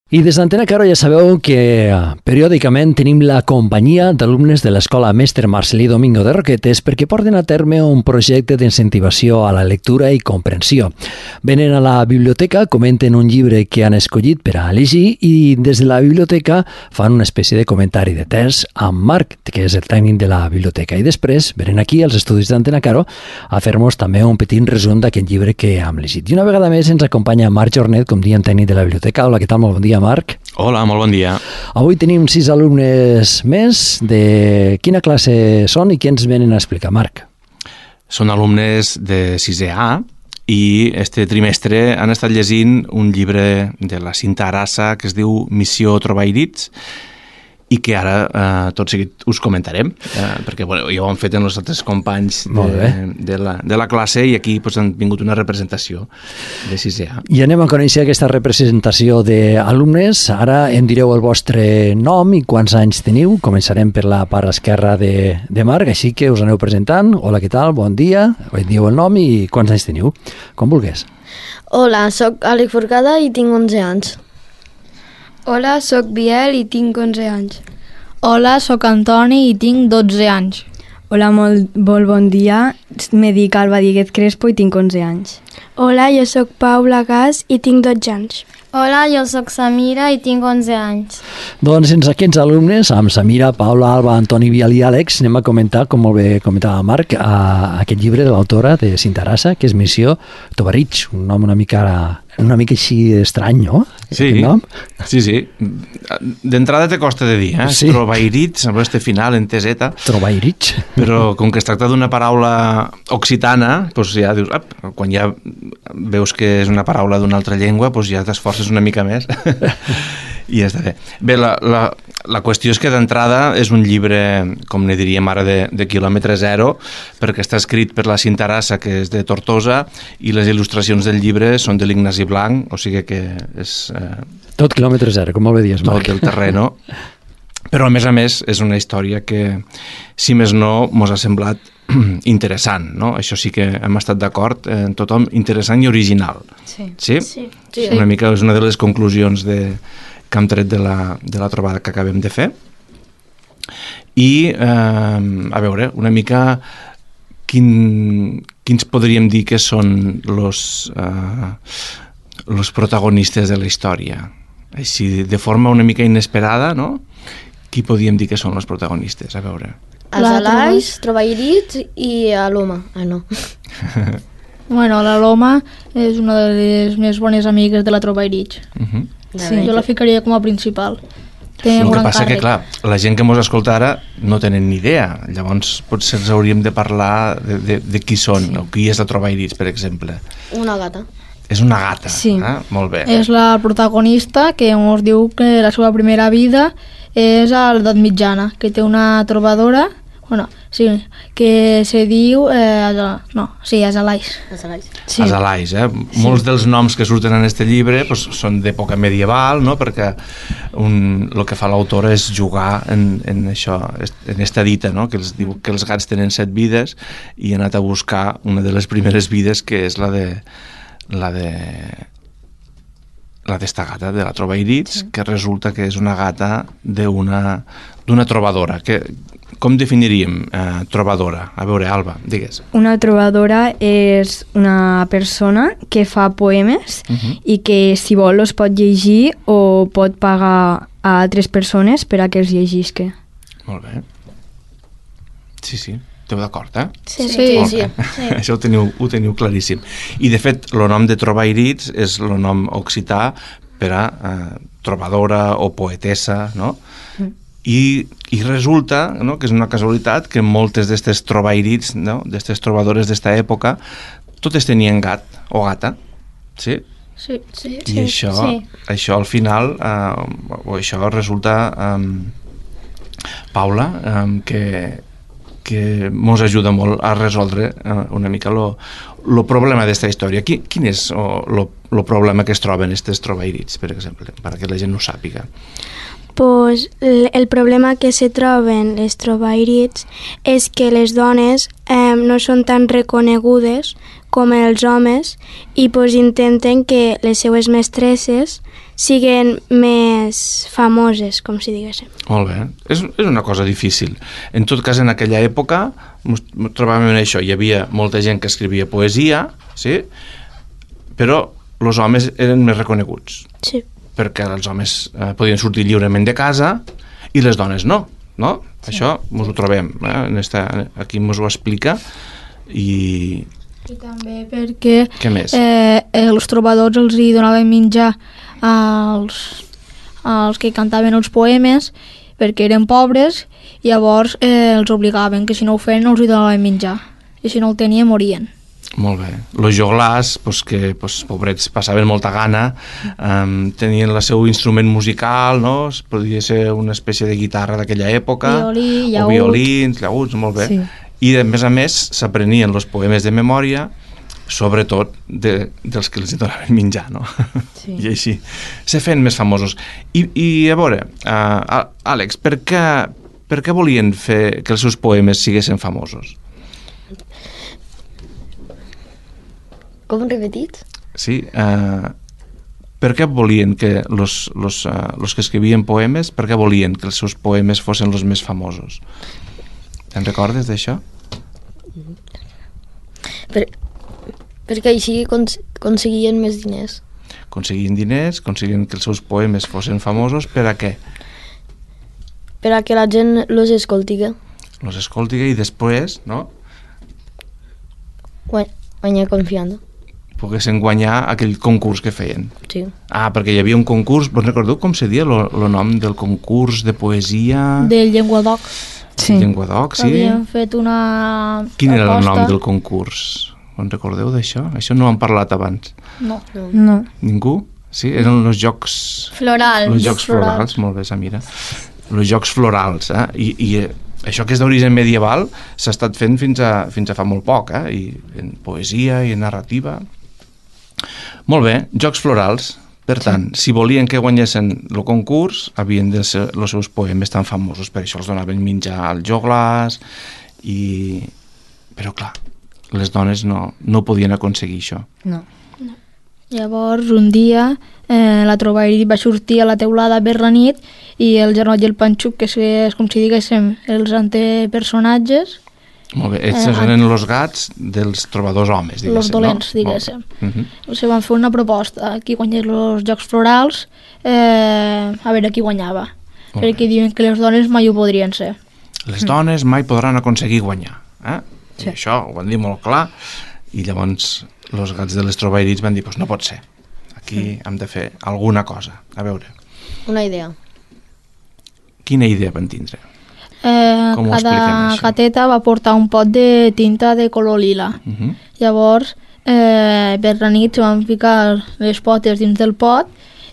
I des d'Antena Caro ja sabeu que periòdicament tenim la companyia d'alumnes de l'Escola Mestre Marcelí Domingo de Roquetes perquè porten a terme un projecte d'incentivació a la lectura i comprensió. Venen a la biblioteca, comenten un llibre que han escollit per a llegir i des de la biblioteca fan una espècie de comentari de text amb Marc, que és el tècnic de la biblioteca. I després venen aquí als estudis d'Antena Caro a fer-nos també un petit resum d'aquest llibre que hem llegit. I una vegada més ens acompanya Marc Jornet, com diem, tècnic de la biblioteca. Hola, què tal? Molt bon dia, Marc. Hola, molt bon dia. Avui tenim 6 alumnes més. De quina classe són i què ens venen a explicar, Marc? Són alumnes de 6è A i este trimestre han estat llegint un llibre de la Cinta Arassa que es diu Missió Trobairits i que ara tot seguit us comentarem, perquè ja ho han fet en els altres companys de la classe i aquí han vingut una representació de 6è A. I anem a conèixer aquesta representació d'alumnes. Ara em direu el vostre nom i quants anys teniu. Començarem per la part esquerra de Marc, així que us aneu presentant. Hola, què tal? Bon dia. Dieu el nom i quants anys teniu. Com vulgués. Hola, soc Àlex Forcada i tinc 11 anys. Hola, soc Biel i tinc 11 anys. Hola, soc Antoni i tinc 12 anys. Hola, molt bon dia. Me dic Alba Díguez Crespo i tinc 11 anys. Hola, jo soc Paula Gas i tinc 12 anys. Hola, jo soc Samira i tinc 11 anys. Doncs sense aquests alumnes, amb Samira, Paula, Alba, Antoni, Biel i Àlex, anem a comentar, com molt bé comentava Marc, aquest llibre de l'autora de Cinta Arassa, que és Missió Trobairits, un nom una mica així estrany, no? Sí. D'entrada te costa de dir, Sí. Trobairits, amb este final en teseta. Trobairits. Però com que es tracta d'una paraula occitana, doncs ja dius, quan ja veus que és una paraula d'una altra llengua, doncs ja t'esforces una mica més i ja està bé. Bé, la qüestió és que d'entrada és un llibre, com ne diríem ara, de quilòmetre zero, perquè està escrit per la Cinta Arassa, que és de Tortosa, i les il·lustracions del llibre són de l'Ignasi Blanc, o sigui que és... Tot quilòmetre zero, com molt bé dius, Marc. Tot el terreno. Però, a més, és una història que, si més no, mos ha semblat interessant, no? Això sí que hem estat d'acord en tothom, interessant i original. Sí? Una mica és una de les conclusions que hem tret de la trobada que acabem de fer. I, a veure, una mica quins podríem dir que són los protagonistes de la història. Així, de forma una mica inesperada, no? Qui podríem dir que són els protagonistes? A veure... Els Alais, Trobairits i l'Oma. No. Bueno, la Loma és una de les més bones amigues de la Trobairits. Sí, jo la ficaria com a principal. El que passa que, clar, la gent que mos escolta ara no tenen ni idea. Llavors potser ens hauríem de parlar de qui són, o qui és la Trobairits, per exemple. Una gata. És una gata, sí. Molt bé. És la protagonista que ens diu que la seva primera vida és a l'edat mitjana, que té una trobadora, que se diu... és Alais. Sí. Els Alais, Molts dels noms que surten en este llibre són d'època medieval, no? Perquè el que fa l'autora és jugar en això, en esta dita, no? Que els diu que els gats tenen 7 vides i ha anat a buscar una de les primeres vides, que és la d'esta gata, de la Trobairits, que resulta que és una gata d'una trobadora. Com definiríem trobadora? A veure, Alba, digues. Una trobadora és una persona que fa poemes i que, si vol, els pot llegir o pot pagar a altres persones per a que els llegisca. Molt bé. Sí. Esteu d'acord, Sí. Això ho teniu claríssim. I, de fet, el nom de Trobairits és el nom occità per a trobadora o poetessa, no? I resulta, no?, que és una casualitat que moltes d'aquestes Trobairits, no?, d'aquestes trobadores d'esta època, totes tenien gat o gata, sí? Sí. I això al final, això resulta, Paula, que mos ajuda molt a resoldre una mica el problema d'esta història. Quin és el problema que es troben aquests Trobairits, per exemple, perquè la gent no ho sàpiga? Pues el problema que se troben les Trobairits és que les dones no són tan reconegudes com els homes i pues, intenten que les seues mestresses siguin més famoses, com si diguéssim. Molt bé. És una cosa difícil. En tot cas, en aquella època ens trobàvem en això. Hi havia molta gent que escrivia poesia, sí? Però els homes eren més reconeguts. Sí. Perquè els homes podien sortir lliurement de casa i les dones no? Sí. Això ens ho trobem. Aquí ens ho explica i també perquè què més? Els trobadors els hi donaven menjar als que cantaven els poemes perquè eren pobres i llavors els obligaven que si no ho feien no els hi donaven menjar i si no el tenien morien. Molt bé. Los joglars, que pobrets passaven molta gana, tenien el seu instrument musical, no? Podia ser una espècie de guitarra d'aquella època, violí, o violins, llaüts, molt bé. Sí. I a més s'aprenien els poemes de memòria, sobretot dels que els donaven menjar, no? Sí. I així se feien més famosos. I a veure, Àlex, per què volien fer que els seus poemes siguessin famosos? Com repetit? Sí, per què volien que los que escrivien poemes, per què volien que els seus poemes fossin els més famosos? Te'n recordes d'això? Perquè així aconseguien més diners. Aconseguien diners, aconseguien que els seus poemes fossin famosos, per a què? Per a que la gent los escoltiga. Los escoltiga i després, no? Guanyar confiança. Poguessin guanyar aquell concurs que feien. Sí. Perquè hi havia un concurs, vos recordeu com se dia el nom del concurs de poesia? Del Llenguadoc. Sí. Llenguadoc, sí. Havien fet una Quin era el nom del concurs? Vos recordeu d'això? Això no ho han parlat abans. No. Ningú? Sí, eren els jocs... Florals. Els jocs florals, molt bé, Samira. Els jocs florals, I això que és d'origen medieval s'ha estat fent fins a fa molt poc, i en poesia i en narrativa. Molt bé, jocs florals. Per tant, si volien que guanyessin el concurs, havien de ser els seus poemes tan famosos. Per això els donaven menjar als joglars però clar, les dones no podien aconseguir això. No. Llavors, un dia, la Trovairi va sortir a la teulada per la nit i el Janot i el Panxuc, que és com si diguéssim els antepersonatges... Molt bé, ells eren els gats dels trobadors homes, diguéssim. Els dolents, no? diguéssim. Se van fer una proposta, qui guanyés els Jocs Florals, a veure qui guanyava. Perquè diuen que les dones mai ho podrien ser. Les dones mai podran aconseguir guanyar. I això ho van dir molt clar, i llavors els gats de les Trovairits van dir, no pot ser, aquí hem de fer alguna cosa. A veure. Una idea. Quina idea van tindre? Com ho expliquem, cada això? gateta va portar un pot de tinta de color lila. Llavors, per la nit se van ficar les potes dins del pot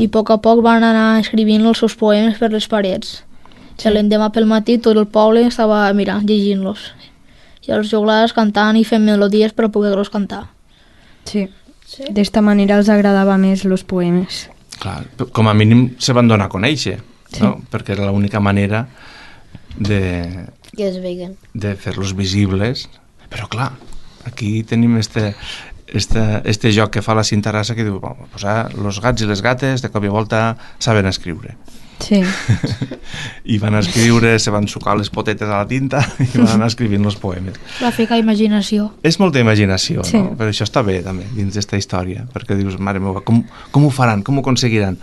i a poc van anar escrivint els seus poemes per les parets. L'endemà pel matí tot el poble estava mirant, llegint-los. I els joglars cantant i fent melodies per poder-los cantar. Sí. D'esta manera els agradava més els poemes. Clar, com a mínim se van donar a conèixer, no? Perquè era l'única manera que es veguen. De fer-los visibles. Però clar, aquí tenim este joc que fa la Cintarassa que diu, los gats i les gates de cop i volta saben escriure. Sí. I van escriure, se van sucar les potetes a la tinta i van anar escrivint els poemes. Va ficar imaginació. És molta imaginació, no? Però això està bé també dins d'esta història, perquè dius, mare meva, com ho faran, com ho aconseguiran?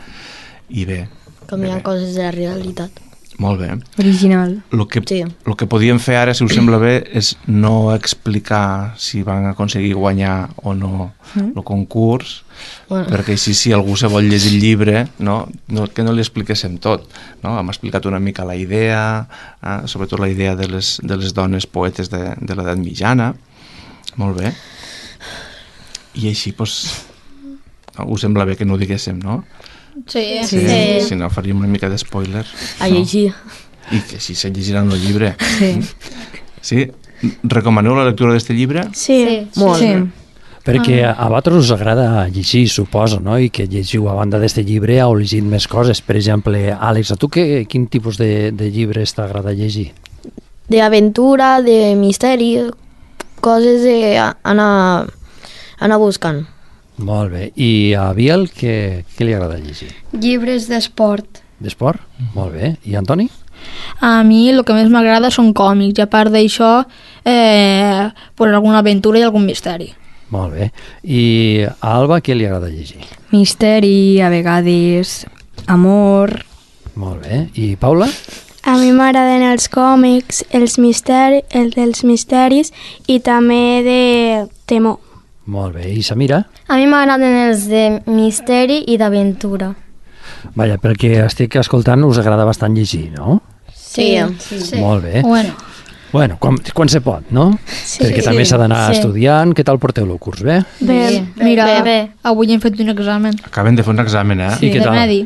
I bé. Canviant coses de la realitat. Molt bé. Original. El que podíem fer ara, si us sembla bé, és no explicar si van aconseguir guanyar o no el concurs, perquè així si algú se vol llegir el llibre, que no li expliquéssim tot. Hem explicat una mica la idea, sobretot la idea de les dones poetes de l'edat mitjana. Molt bé. I així, us sembla bé que no ho diguéssim, no? Sí. Si no faríem una mica de spoiler. A llegir. I que així se llegiran el llibre. Sí? Recomaneu la lectura d'aquest llibre? Sí. Molt. Perquè a vosaltres us agrada llegir, suposo, no? I que llegiu a banda d'aquest llibre heu llegit més coses. Per exemple, Àlex, a tu quin tipus de llibres t'agrada llegir? D'aventura, de misteri, coses d'anar anar buscant. Molt bé. I a Biel, què li agrada llegir? Llibres d'esport. D'esport? Molt bé. I Antoni? A mi el que més m'agrada són còmics, i a part d'això, alguna aventura i algun misteri. Molt bé. I a Alba què li agrada llegir? Misteri, a vegades amor. Molt bé. I Paula? A mi m'agraden els còmics, els dels misteris i també de temor. Molt bé. I Samira? A mi m'agraden els de misteri i d'aventura. Vaja, pel que estic escoltant us agrada bastant llegir, no? Sí. Molt bé. Bueno, Quan se pot, no? Sí. Perquè també s'ha d'anar estudiant. Què tal porteu el curs? Bé? Bé. mira, bé. avui hem fet un examen. Acaben de fer un examen, eh? I què de tal? medi.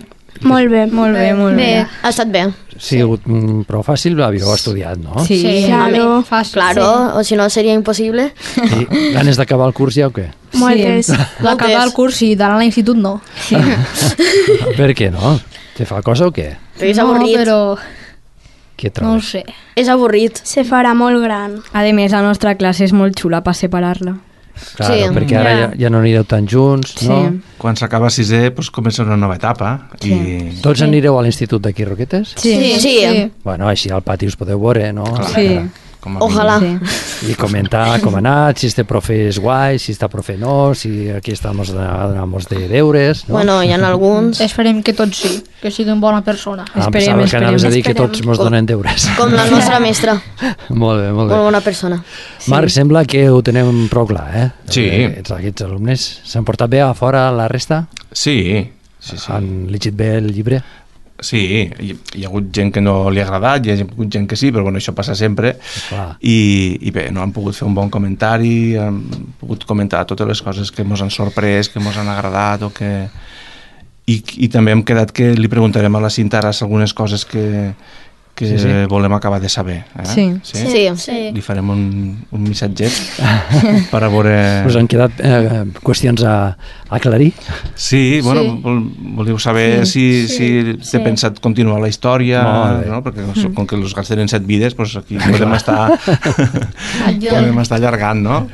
Molt bé. Molt bé, molt bé. Ha estat bé. Sí, ha sigut prou fàcil, havíeu estudiat, no? Sí. Claro. Fàcil. Claro, o si no seria impossible. I ganes d'acabar el curs ja o què? Moltes. D'acabar el curs i d'anar a l'institut no. Per què no? Te fa cosa o què? Perquè és No, avorrit. però Què no ho trobes? sé. És avorrit. Se farà molt gran. A més, la nostra classe és molt xula per separar-la. Claro, Sí. perquè ara ja no anireu tan junts, no? Sí. Quan s'acaba sisè, doncs comença una nova etapa. I... Tots anireu a l'institut d'aquí, Roquetes? Sí. Bueno, així al pati us podeu veure, no? Clar, Sí. com a Ojalà. Sí. I comentar com ha anat, si este profe és guai, si este profe no, si aquí estamos donamos de deures, no? Bueno, hi ha alguns, Esperem que tots sí, que siguin bona persona. Pensava esperem, que anaves a dir que esperem. tots mos donen deures. com la nostra mestra. Molt bé, molt bé. Molt bona persona. Marc, sembla que ho tenem prou clar, eh? Sí. Aquests alumnes s'han portat bé a fora la resta? Sí. Han llegit bé el llibre? Sí, hi ha hagut gent que no li ha agradat, hi ha hagut gent que sí, però bueno, això passa sempre. Clar. I bé, no han pogut fer un bon comentari, han pogut comentar totes les coses que ens han sorprès, que ens han agradat o que... I també hem quedat que li preguntarem a la Cinta Arassa algunes coses que Sí, sí. volem acabar de saber. Eh? Sí. Sí. Li farem un missatget per a veure... Us han quedat qüestions a aclarir? Sí, bueno, Sí. volíeu saber si té pensat continuar la història, Molt bé. no? Perquè com que els gats tenen 7 vides, doncs aquí podem estar allargant, no?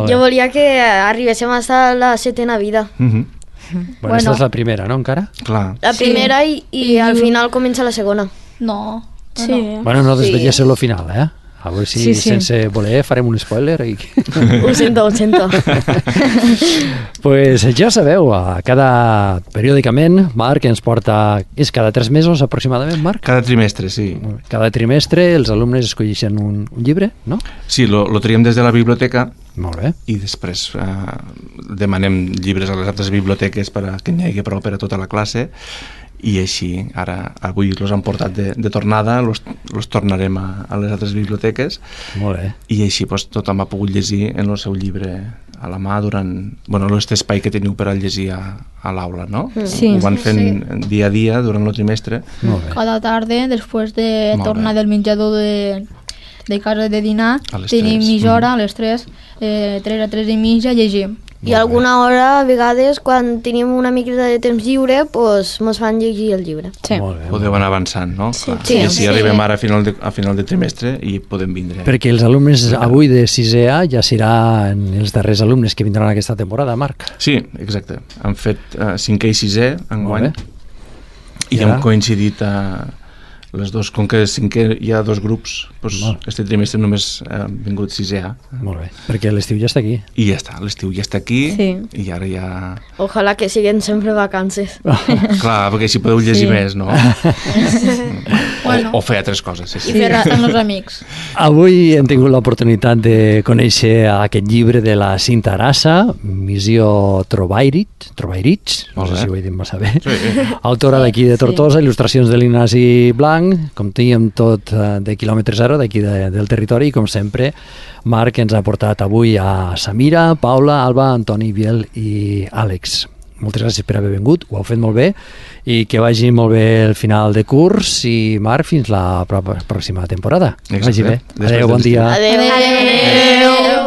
Jo volia que arribéssim a la 7ª vida. Mhm. Bueno, esta és la primera, no, encara? Clar. La primera i al final comença la segona. No. Sí. Bueno, no desvelléssim lo final, eh? A veure si Sí, sí. sense voler farem un spoiler i... Ho sento. Pues ja sabeu, periòdicament, Marc ens porta... És cada 3 mesos aproximadament, Marc? Cada trimestre, sí. Cada trimestre els alumnes escolleixen un llibre, no? Sí, lo triem des de la biblioteca Molt bé. i després demanem llibres a les altres biblioteques perquè n'hi hagi prou per a tota la classe i així, avui els han portat de tornada, los tornarem a les altres biblioteques Molt bé. i així doncs, tothom ha pogut llegir en el seu llibre a la mà durant aquest espai que teniu per a llegir a l'aula, no? Sí. Ho van fent dia a dia durant el trimestre. Molt bé. Cada tarda, després de Molt tornar bé. del menjador de casa de dinar, A les tenim 3. mitja hora, a les 3, 3 a 3 i mitja, llegim. I alguna hora, a vegades, quan tenim una mica de temps lliure, doncs mos fan llegir el llibre. Sí. Molt bé. Podeu anar avançant, no? Clar. Sí. I així Sí. arribem ara a final de trimestre i podem vindre. Perquè els alumnes avui de 6è A ja seran els darrers alumnes que vindran aquesta temporada, Marc. Sí, exacte. Han fet 5è i 6è enguany Molt bé. i I ara? hem coincidit les dos, com que 5è hi ha 2 grups, doncs Molt. este trimestre només han vingut 6è A. Molt bé. Perquè l'estiu ja està aquí. I ja està, l'estiu ja està aquí Sí. i ara ja... Ojalà que siguin sempre vacances. Clar, perquè així podeu llegir més, no? Bueno. O fer altres coses, sí, I sí. fer amb els amics. Avui hem tingut l'oportunitat de conèixer aquest llibre de la Cinta Arassa, Missió Trobairich, no Molt sé bé. si ho he dit massa bé, Sí. autora d'aquí de Tortosa, il·lustracions de l'Ignasi Blanc, com dèiem tot de quilòmetre zero, d'aquí del territori, i com sempre Marc ens ha portat avui a Samira, Paula, Alba, Antoni, Biel i Àlex. Moltes gràcies per haver vingut, ho heu fet molt bé i que vagi molt bé el final de curs i Marc, fins la pròxima temporada. Que vagi bé. Després Adéu, bon de l'estiu. dia. Adéu.